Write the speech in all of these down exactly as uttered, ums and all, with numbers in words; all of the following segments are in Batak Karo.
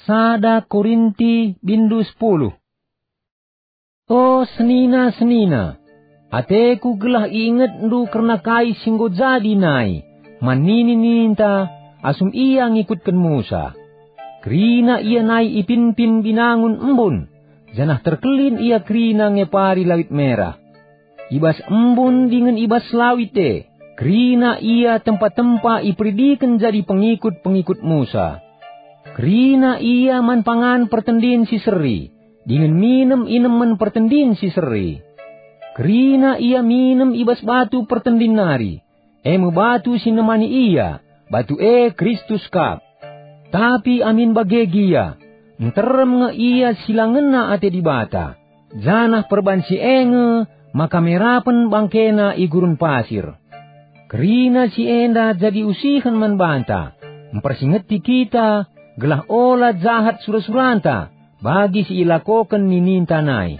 Sada Korinti bindu sepuluh. O senina-senina, ateku gelah iingetndu kerna kai si enggo jadi nai man nini-nininta asum ia ngikutken Musa. Kerina ia nai ipimpin binangun embun, janah terkelin ia kerina ngepari Lawit Merah. I bas embun dingen i bas lawit e, kerina ia tempa-tempa iperidiken jadi pengikut-pengikut Musa. Kerina ia man pangan pertendin si seri, dingen minem inemen pertendin si seri. Kerina ia minem i bas batu pertendin nari, e me batu si nemani ia, batu e Kristus kap. Tapi amin bage gia, nterem nge ia si la ngena ate Dibata, janah perban si e nge maka merapen bangkena i gurun pasir. Kerina si enda jadi usihen man banta, mpersingeti kita, gelah ola jahat sura-suranta bagi si ilakoken nininta nai.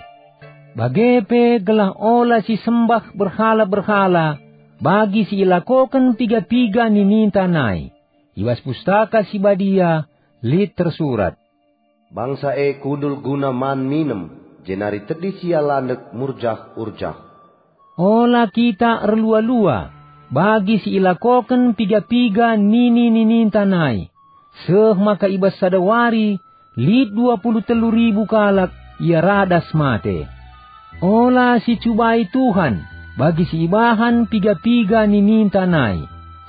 Bage pe gelah ola sisembah berhala-berhala bagi si ilakoken piga-piga nininta nai. I bas Pustaka Si Badia lit tersurat, "Bangsa e kundul guna man minem, jenari tedis ia landek murjah-urjah." Ola kita erlua-lua bagi si ilakoken piga-piga nini-nininta nai, seh maka i bas sada wari lit dua puluh telu ribu kalak ia radas mate. Ola sicubai Tuhan bagi si ibahan piga-piga nininta nai,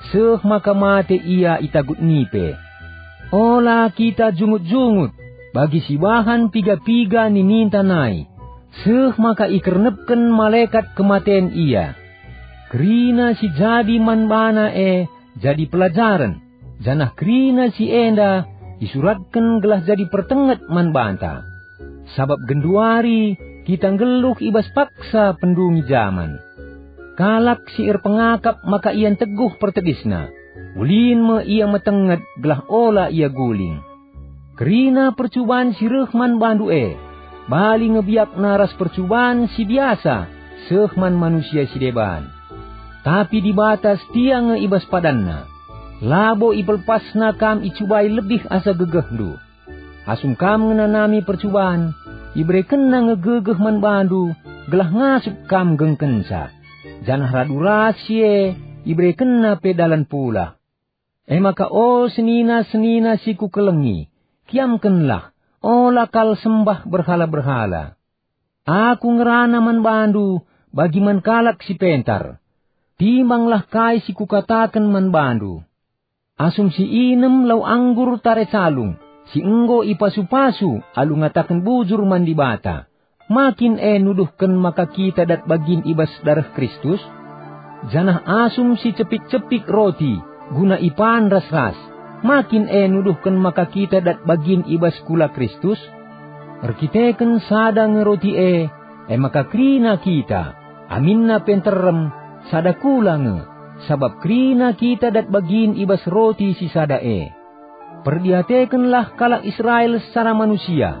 seh maka mate ia i tagut nipe. Ola kita jungut-jungut bagi si ibahan piga-piga nininta nai, seh maka ikernepken malekat kematen ia. Kerina si jadi man bana e jadi pelajaren, janah kerina si enda isuratken gelah jadi pertenget man banta. Sabap genduari kita nggeluh i bas paksa pendungi jaman. Kalak si erpengakap maka ia nteguh pertedisna, ulin me ia metenget gelah ola ia guling. Kerina percuban si reh man bandu e, bali nge biakna ras percuban si biasa seh man manusia si deban. Tapi Dibata setia nge i bas padanNa. Labo ipelepasNa kam icubai lebih asa gegehndu. Asum kam ngenanami percuban, iberekenNa nge gegeh man bandu gelah ngasup kam nggengkenca. Janah radu ras si e, iberekenNa pe dalan pulah. E maka o senina-senina si kukelengi, kiamkenlah, ola kal sembah berhala-berhala. Aku ngerana man bandu bagi man kalak si pentar. Timbanglah kai si kukataken man bandu. Asum si inem lau anggur tare calung, si enggo ipasu-pasu alu ngataken bujur man Dibata, ma kin e nuduhken maka kita dat bagin i bas dareh Kristus? Janah asum si cepik-cepik roti guna ipan ras-ras, ma kin e nuduhken maka kita dat bagin i bas kula Kristus? Erkiteken sada nge roti e, e maka kerina kita, aminna pe nterem, sada kula nge, sabap kerina kita dat bagin i bas roti si sada e. Perdiatekenlah kalak Israel secara manusia,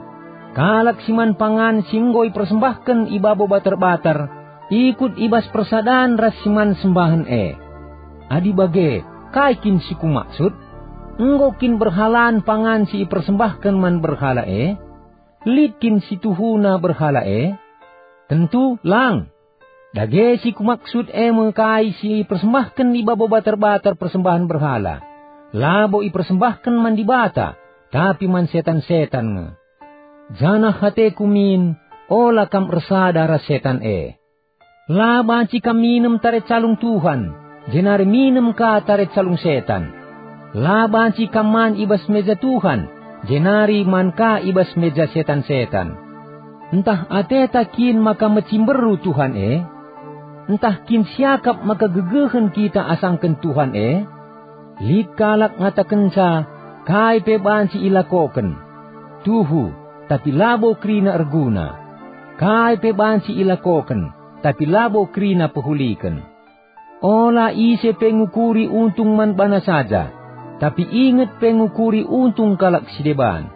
kalak si man pangan si enggo ipersembahken i babo batar-batar, ikut i bas persadan ras si man sembahen e. Adi bage, kai kin si kumaksud? Enggo kin berhalan pangan si ipersembahken man berhala e? Lit kin si tuhuna berhala e? Tentu lang! Dage si kumaksud e me kai si ipersembahken i babo batar-batar persembahen berhala. Labo ipersembahken man Dibata, tapi man setan-setan nge. Janah ateku min, ola kam ersada ras setan e. La banci kam minem tare calung Tuhan, jenari minem ka tare calung setan. La banci kam man i bas meja Tuhan, jenari man ka i bas meja setan-setan. Ntah ateta kin maka mecimberu Tuhan e? Ntah kin siakap maka gegehen kita asangken Tuhan e? Lit kalak ngatakenca, kai pe banci ilakoken. Tuhu, tapi labo kerina erguna. Kai pe banci ilakoken, tapi labo kerina pehuliken. Ola ise pe ngukuri untung man bana saja, tapi inget pe ngukuri untung kalak si deban.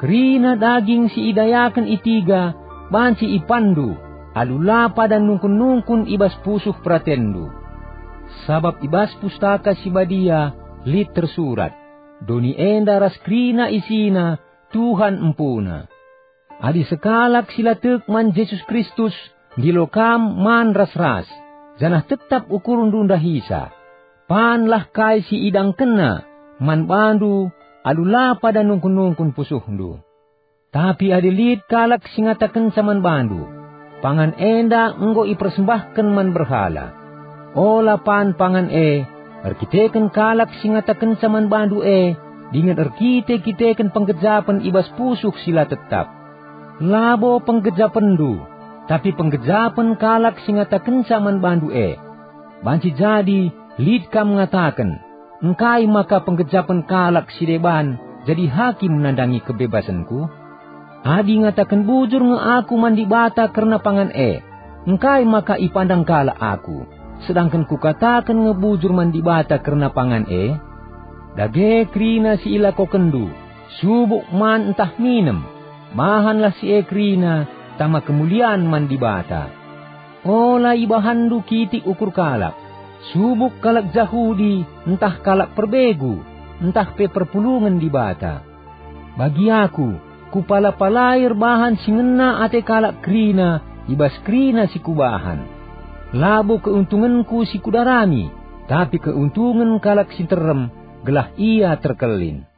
Kerina daging si idayaken i tiga banci ipanndu, alu la padan nungkun-nungkun i bas pusuh peratenndu. Sabap i bas Pustaka Si Badia lit tersurat, "Doni enda ras kerina isina Tuhan empuna. Adi sekalak si la tek man Jesus Kristus ndilo kam man ras-ras, janah tetap ukurndu ndahisa, panlah kai si idangkenna man bandu alu la pada nungkun-nungkun pusuhndu. Tapi adi lit kalak si ngatakenca man bandu, "Pangan enda enggo ipersembahken man berhala," ola pan pangan e erkiteken kalak si ngatakenca man bandu e dingen erkite-kiteken penggejapen i bas pusuh si la tetap. Labo penggejapenndu, tapi penggejapen kalak si ngatakenca man bandu e. Banci jadi lit kam ngataken, "Engkai maka penggejapen kalak si deban jadi hakim nandangi kebebasenku?" Adi ngataken bujur nge aku man Dibata kerna pangan e, engkai maka ipandang kalak aku, sedangken kukataken nge bujur man Dibata kerna pangan e? Dage kerina si ilakokenndu, subuk man ntah minem, bahanlah si e kerina tama kemulian man Dibata. Ola ibahanndu kitik ukur kalak, subuk kalak Jahudi ntah kalak perbegu, ntah pe perpulungen Dibata. Bagi aku, kupala-palai erbahan si ngena ate kalak kerina i bas kerina si kubahan. Labo keuntungenku si kudarami, tapi keuntungen kalak si nterem, gelah ia terkelin.